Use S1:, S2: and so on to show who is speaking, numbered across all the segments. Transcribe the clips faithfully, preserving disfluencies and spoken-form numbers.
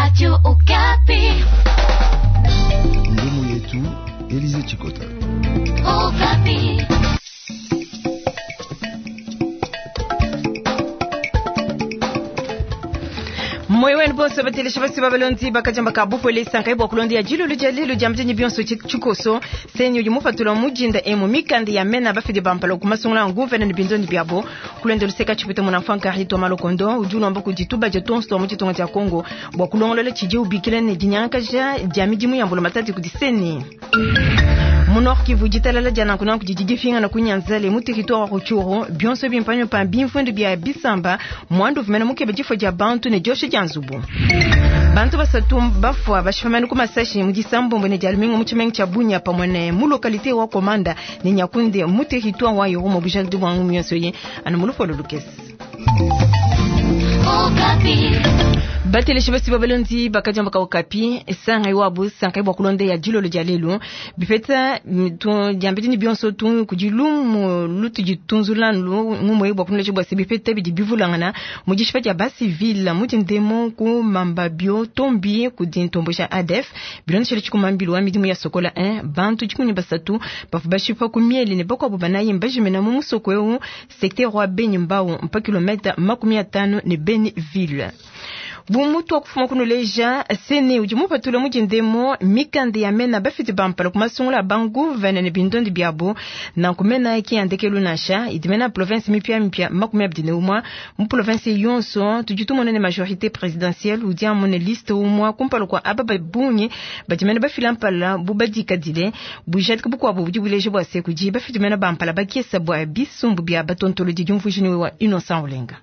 S1: Radio Okapi.
S2: Ngumu yetu Elize Chikota.
S1: Okapi.
S3: Moyo wenu bonso batelesha basi babalonzi bakajamba ka bupole sankai bwa kulondi ya jilulu ja lelu ja mjenyi bionso chikoso senyu yumufatula mujinda emu mikandi ya mena bafidi bampala kumasungula nguvene ni bindondi byabo kulenda luseka chipita muna mfanka hito malokondo ujuna mba kujituba ja tonsto mu chitonga cha Kongo bwa kulongolola chije ubikile ne dinyanka ja ja midimu ya mbula matati kudiseni mu Nord Kivu ditalala dia nanku nanku didi difingana ku Nyanzale mu territoire wa Rutshuru bionso bimpanyo pa bimfundu bia bisamba mwandu vumena mukebe difo dia bantu ne diosha dia nzubu bantu basatu bafua bashifamani ku masashi mu disambombo ne dia lumingu mu tshimenga tshia Bunia pamwe ne mu localité wa Komanda ne Nyakunde mu territoire wa Irumu bujadi bwa ngumu yonso ye anu mu lupolo lukese. Bateleshi basi babalonzi bakajamba ka Okapi sangai wabu sangai bwa kulonde ya jilolo dia lelu bipeta diambedi ni bionso tu kudilumu lutu ditunzulanu ngumwe bwa kunleje bwa bipeta bidi bivulangana mu dishipa dia basi ville mu dindemo ku mamba bio tombi ku dintombo ja A D F bilonde chikumambilu wa midimu ya Sokola un bantu dikuni basatu bafu bashipa ku mieli ne bakwa banayi mbajimena mu musoko eu secteur wa Beni Mbau mpa kilomètre makumi atano ne Beni ville. Bumutu wa kufuma kunuleja sene udi mupatula mujindemo mikande ya mena bafiti bampala kumasungula bangu vene ne bindondi byabo na kumena ki andekelu nasha idimena province mipya mipya makumi abidi ne umwa mu province yonso tujitumona ne majorité présidentielle udi amone liste umwa kumpala kwa aba babunyi badimena bafila mpala bubadikadile bujadika bukwabo budi buleje bwa sekuji bafiti mena bampala bakesa bwa bisumbu bya batontolo di diumvujini wa Innocent Olenga.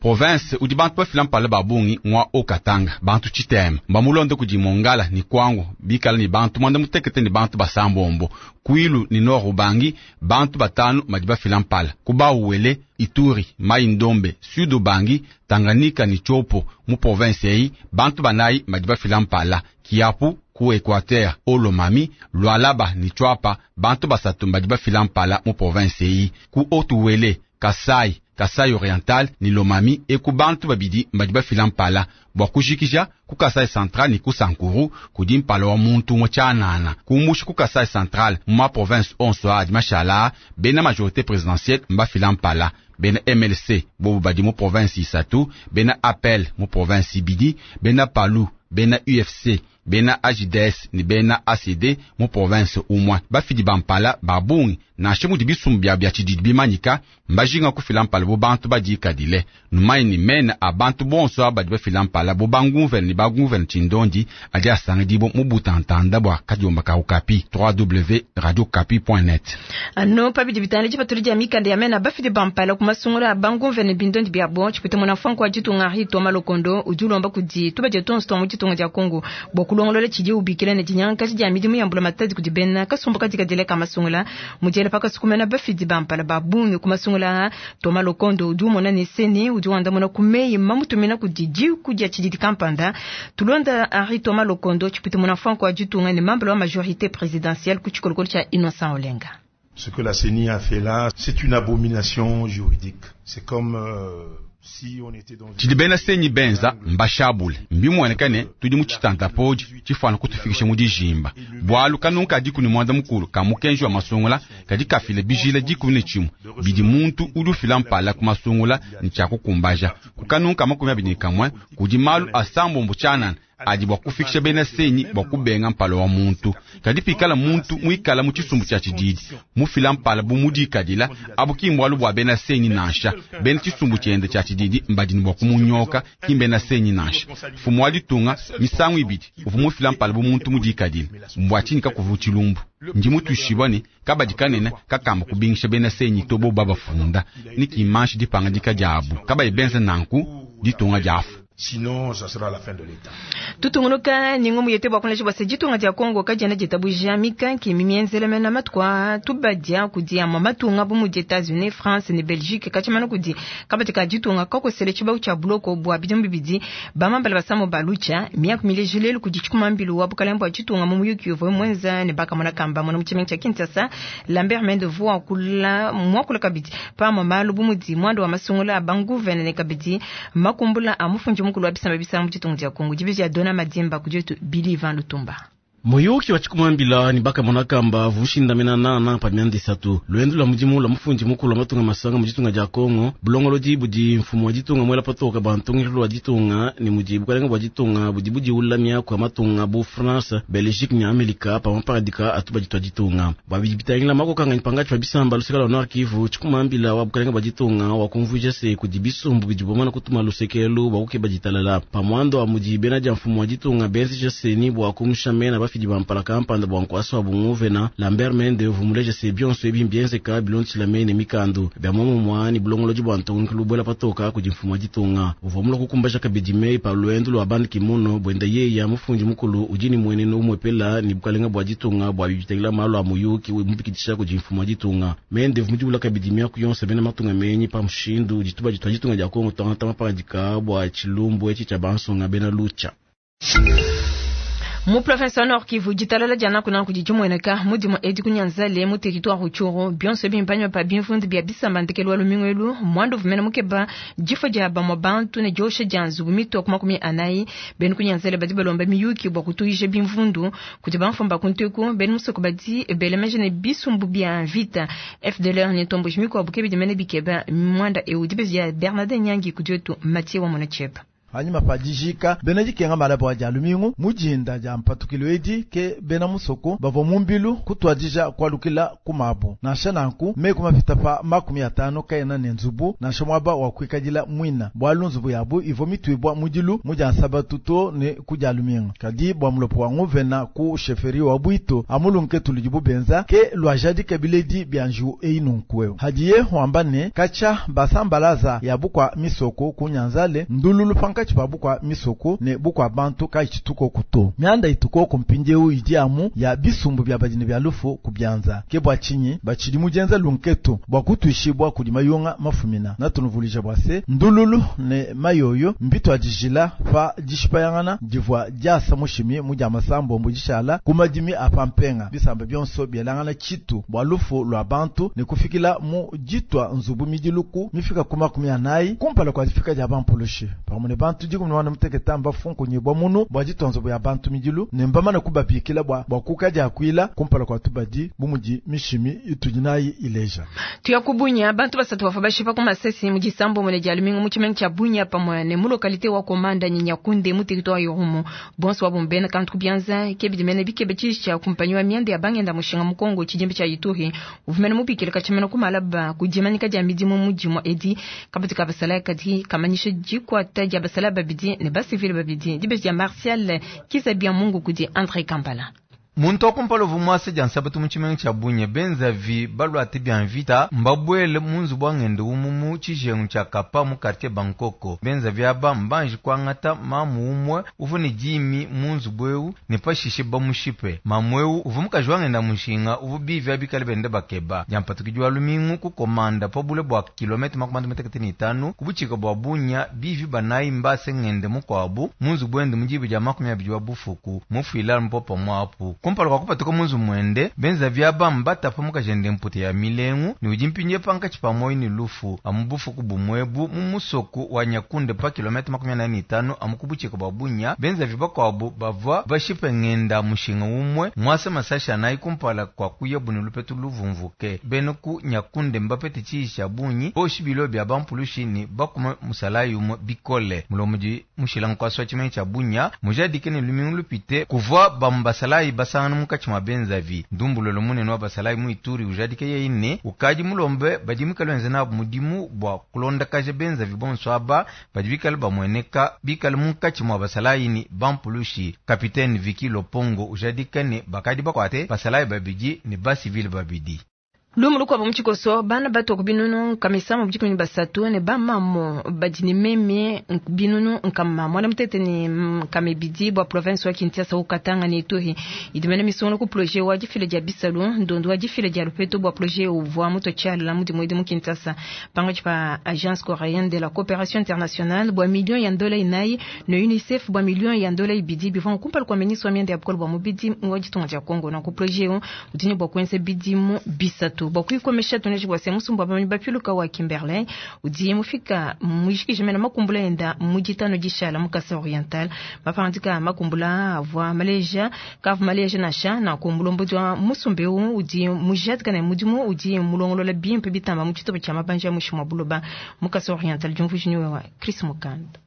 S4: Province udi bantu bafila mpala babungi ngwa okatanga bantu chitema mbamulonde kudi mongala ni kwangu bikala ni bantu mwanda mutekete ni bantu basambombo kwilu ni nord ubangi bantu batanu madi bafila mpala kubauwele Ituri mai ndombe sud ubangi Tanganyika ni chopo mu province eyi bantu banayi madi bafila mpala kiapu ku Equateur Olomami Lualaba ni Chwapa bantu basatu mbadi bafila mpala mu province eyi ku Otuwele Kasai Kasai Oriental ni Lomami e ku bantu babidi mbadi bafila mpala bwa kujikija ku Kasai Central ni ku Sankuru kudi mpala wa muntu umwe tshianana kumbusha ku Kasai Central mu ma province onso adi mashala bena majorité présidentielle mbafila mpala bena M L C bobu badi mu province isatu bena A P E L mu province ibidi bena PALU bena U F C bena A J D S ni bena A C D mu province umwa bafidi bampala babungi nansha mudi bisumbu bya bya tshididi bimanyika mbajinga kufila mpala bo bantu badikadile numayi ni mena a bantu bonso abadi bafila mpala bo bangumvene ni bagumvene tshindondi adi asangidibo mu butantanda bwa kadiomba ka Okapi w w w radio okapi point net.
S3: Ano pabidi bitana tshipatuli dia mikanda ya mena bafidi bampala kumasungula bangumvene bindondi bya bo tshipita muna mfanko wa ditunga Henri Thomas Lokondo udi ulomba kudi tubadia tonso twa mu ditunga dia Kongo bwa kulongolola tshidi ubikila ne dinyanka dia midimu ya mbula matadi kudi bena kasumbu kadikadile ka masungula mujele pakasukumena bafidi bampala babungi kumasungula Thomas Lokondo udi umona ne sene udi wandamuna kumeyi mamutumina kudi diku dia tshididi kampanda tulonda Henri Thomas Lokondo tshipita muna mfanko wa ditunga ne mambala wa majorité présidentielle ku tshikolokolo tshia Innocent Olenga.
S5: Ce que la CENI a fait là, c'est une abomination juridique. C'est comme euh, si on était dans
S4: tshidi bena senyi benza mbashabule mbimwenekane tudi mu tshitanta podi tshifana kutufikisha mu dijimba bwalu kanunka diku ni mwanda mukulu ka mukenji wa masungula kadi kafile bijila dikumi ne tshimwe bidi muntu udi ufila mpala ku masungula ni tshia kukumbaja kukanunka makumi abidi ne kamwe kudi malu asambombo tshianana adi bwa kufikisha bena senyi bwa kubenga mpala wa muntu kadi pikala muntu muikala mu tshisumbu tshia tshididi mufila mpala bu mudikadila abu kimbwalu bwa bena senyi nansha bena tshisumbu tshiende tshia tshididi mbadini bwa kumunyoka kimbena senyi nansha fumu wa ditunga misangu ibidi uvu mufila mpala bu muntu mudikadila mbwa tshinyi kakuvu tshilumbu ndi mutushibwa ne kabadi kanene kakamba kubingisha bena senyi to bo babafunda ni kimanshi dipanga dika diabu kabayi benza nanku ditunga diafu.
S5: Sinon, ça sera la fin de l'État.
S3: Tutungunuka ni ngumu yete bwa kunleja bwa ditunga dia Kongo kadiena ditabuja mikanki mimienzele mena matuku tubadia kudi ama matunga bu mudi Etats-Unis, France ne Belgique kachimana kudi kabatika ditunga kakosele tshibau tshia buloko bwa bidimu bibidi bamambala basamo balucha miaku milejilelu kudi tshikumambilu wa bukalembo ditunga mu muyuki uvua mwenza ne bakamona kamba mona mu tshimenga tshia Kinshasa Lambert Mende vua kula mwakula kabidi pamwe malu bu mudi mwando wa masungula banguvene ne kabidi makumbula a mufunji mukulu wa bisamba bisamba mu ditunga dia Kongo dibiji ya Dona Madimba kujetu Billy Van Lutumba.
S6: Muyuki wa tshikumambila ni bakamona kamba vushindamena nana pa myanda isatu lwendo lwa mudimu lwa mufundi mukulu wa matunga masanga mu ditunga dia Kongo bulongolodi budi mfumu wa ditunga mwela patoka bantungilo lwa ditunga ni mudi bukalenga bwa ditunga budi budiula miaku ya matunga bu France, Belgique ni Amerika pa maparadika atu baditwa ditunga bwa bidi bitangila makokanga pangatshi pa bisamba luseka lwa Nord Kivu. Tshikumambila wa bukalenga bwa ditunga wa kumvuija se kudi bisumbu bidi bomana kutuma lusekelu bwa kukeba ditalala pa mwando wa mudi bena dia mfumu wa ditunga benzija seni bwa kumushamena bafidi bampala kampanda bwa nkwasa wa bunguvena Lambert Mende vumuleja se bionso ebi mbienzeka bilondeshila mene mikandu bya momomwa ni bulongolodi bwa ntongilu bwela patoka kudi mfumu wa ditunga uvua kukumbaja kabidi mei pa lwendo lwa bandi kimono bwenda yeya mufundi mukulu udi ni mwenene umwepela ni bukalenga bwa ditunga bwa bibitangila malu a muyuki mupikidisha kudi mfumu wa ditunga Mende vumudibula kabidi miaku yonso bena matunga menyi pa mushindu dituba ditwa ditunga dia Kongo tangata maparadika bwa tshilumbu etshi tshia bansonga bena lucha.
S3: Mu province Nord Kivu ditalala dia nakuna kudi dimweneka mudimu edi kunyanzale mu territoire Rutshuru bionso bimpanywa pa bimvundu bia bisamba ndekelu wa lumingu elu mwandu vumena mukeba difo dia bamwa bantu ne diosha dia nzubu mitoku makumi anayi benu kunyanzale badi balomba miyuki bua kutuisha bimvundu kudi bamfumba kunteku benu musoko badi belemeje ne bisumbu bia mvita F D L R ne tombo mikuabu ke bidimene bikeba mwanda eu dibezi ya Bernardin Nyangi kudietu Mathieu wa Monachep.
S7: Hanyuma pa dijika bena dikenga malabo a dia lumingu mujinda dia mpatukilo edi ke bena musoko bavua mumbilu kutwadija kwalukila kumabu nansha nanku meku mapita pa makumi atano kaena ne nzubu nansha mwaba wa kuikadila mwina bwalu nzubu yabu ivo mitwibwa mudilu mudia nsabatu to ne kudia lumingu kadi bwa mulopo wa nguvena ku sheferi wa bwito amulunke tuludibu benza ke lwajadi kabiledi bia nju einunkueo hadiye wamba ne kacha basambalaza yabu kwa misoko kunyanzale ndululu panka chibabu kwa misoko ne bukwa bantu ka chituko kuto mianda ituko kumpindeu idi amu ya bisumbu bya badini bya lufu kubyanza ke bwa chinyi bachili mujenza lunketo bwa kutuishibwa kudi mayonga mafumina na tunuvulija bwa se ndululu ne mayoyo mbito adijila pa dishipayangana divwa diasa mushimi muja masambo mbujishala kumadimi apampenga bisamba byonso byelangana chitu bwa lufu lwa bantu ne kufikila mu jitwa nzubu midiluku mifika kuma kumi anayi kumpala kwa difika dia bampulushi pamune bantu diku mwana muteketa mbafunku nyibwa munu bwa jitonzo bya bantu midilu ne mbamana kubabikila bwa bwa kukaja akwila kumpala kwa tubadi bumudi mishimi itujinayi ileja
S3: tuyakubunya bantu basatu bafa bashipa ku masesi mu disambo mune dia lumingu mu tshimenga tshia Bunya pamwe ne mu localité wa Komanda Nyakunde mu territoire Yorumu bonso wa bombena kantu kubyanza kebidimene bikebe tshisha kumpanyi wa miende ya bangenda mushinga mu Kongo tshijimbi tsha Ituri uvumene mubikile kachimena kumalaba kujimanika dia midimu mujimo edi kabati kabasala kadi kamanyisha jikwata dia basala babidi ne basivile babidi dibezi ya Martial Kizabia Mungu kudi André Kambala.
S8: Muntu akumpala vumwase dia nsabatu mu tshimenga tshia Bunya benzavi balwate bia mvita mbabwele munzu bwa ngende umumu tshijengu tshia Kapa mu quartier Bankoko benzavi aba mbanji kwangata mamu umwe uvu ne dimi munzu bweu ne pashishe bamushipe mamu eu uvu mukaji wa ngenda mushinga uvu bivi abikale bende bakeba dia mpatukidi wa lumingu kukomanda pa bule bua kilomita makumi matekete ne itanu ku butshika bua Bunya bivi banayi mbase ngende mukuabu munzu bwende mudibi dia makumi abidi wa bufuku mufuila mpopa mwapu kumpala kwa kupatuka munzu mwende benza vyaba mbatapa mukajende mpute ya milengu ni udi mpinje pankatshi pa moyi ni lufu amu bufuku bumwebu mu musoku wa Nyakunde pa kilomita makumi anayi ne itanu amu kubutshika bua Bunya benza vibakuabu bavua bashipe ngenda mushinga umwe mwase masashi anayi kumpala kwa kuya buni lupetu luvumvuke bene ku Nyakunde mbapete tshiisha bunyi boshi bilo bya bampulushi ni bakuma musalayi umwe bikole mulomudi mushila nkwasi wa tshimenga tshia Bunya mujadike ne lumingu lupite kuvua bambasalayi basa mukatshi mwa benzavi ndumbulolo munene wa basalayi mu Ituri ujadike yeine ukadi mulombe badi mikale wenze nabu mudimu bua kulondakaja benzavi bonso aba badi bikale bamweneka bikale munkatshi mwa basalayi ni bampulushi kapitene Viki Lopongo ujadike ne bakadi bakwate basalayi babidi ne basivile babidi.
S3: Lumu lukwabo mutshikoso bana bato ku binunu nkamisama bujikumi basatu ne bamamo badi ne meme binunu nkama mwana mutete ne nkame bidi bwa province wa Kinshasa ukatanga ne Ituri idimene misono ku projet wa difile dia bisalu ndondo wa difile dia lupeto bwa projet uvwa muto tshala mudi mwedi mu Kinshasa panga pa agence coréenne de la coopération internationale bwa million ya ndola inayi ne UNICEF bwa million ya ndola ibidi bivwa kumpala kwa ministre wa mianda ya bukolo bwa mubidi ngwa ditunga dia Congo na ku projet udini bwa kwense bidimu bisatu bwakuikomesha tuneji bwa se musumba bamanyi bapiluka wa Kimberley udi mufika mujikije mena makumbula enda mujitano jishala mukasa oriental mapandika makumbula avwa maleja kavu maleja nasha na kumbulombo wa musumbe udi mujatika na mudimu udi mulongolola bimpe bitamba mu chitobo cha mabanja mushimwa buloba mukasa oriental jumvujinyo wa Chris Mukanda.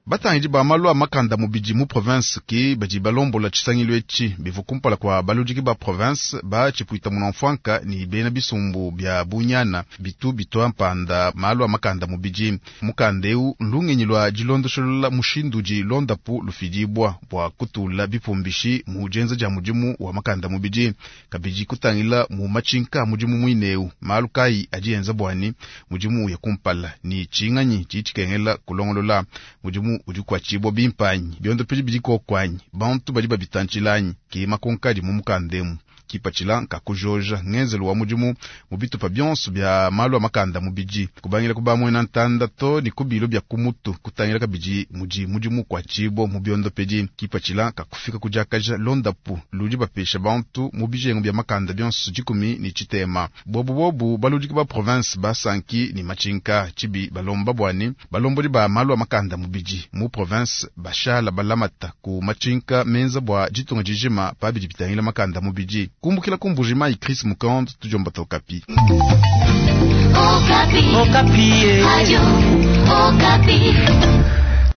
S9: Batangidi ba malu a makanda mubidi mu province ki badi balombola tshisangilu etshi bivu kumpala kua baludiki ba province ba tshipuita munamfuanka ni bena bisumbu bia bunyana bitu bitwa mpanda malu a makanda mubidi. Mukanda eu lungenyi lua dilondoshelola mushindu udi londapu lufidibwa bua kutula bipumbishi mu dienza dia mudimu wa makanda mubidi kabidi kutangila mu matshinka mudimu muineu malu kayi adi enza bwani mudimu ya kumpala ni tshinganyi tshitshikengela kulongolola mudimu udi kuatshibwa bimpanyi biondo pidi bidi kokwanyi bantu badi babitantshilanyi ki makonkadi mu mukandemu kipatshila nkakujoja ngenzelu wa mudimu mu bitupa bionso bia malu a makanda mubidi kubangila kubamwena ntanda to ni kubilo bia kumutu kutangila kabidi mudi mudimu kuatshibwa mu biondo pedi kipatshila kakufika kudiakaja londapu ludi bapesha bantu mu bijengu bia makanda bionso dikumi ni tshitema bobu bobu baludiki ba province basanki ni matshinka tshibi balomba bwani balombodi ba malu a makanda mubidi mu province bashala balamata ku matshinka menza bwa ditunga dijima pabidi bitangila makanda mubidi kumbukila kumbujima Chris Mukand tujomba Okapi.
S1: Okapi. Okapi. Radio Okapi.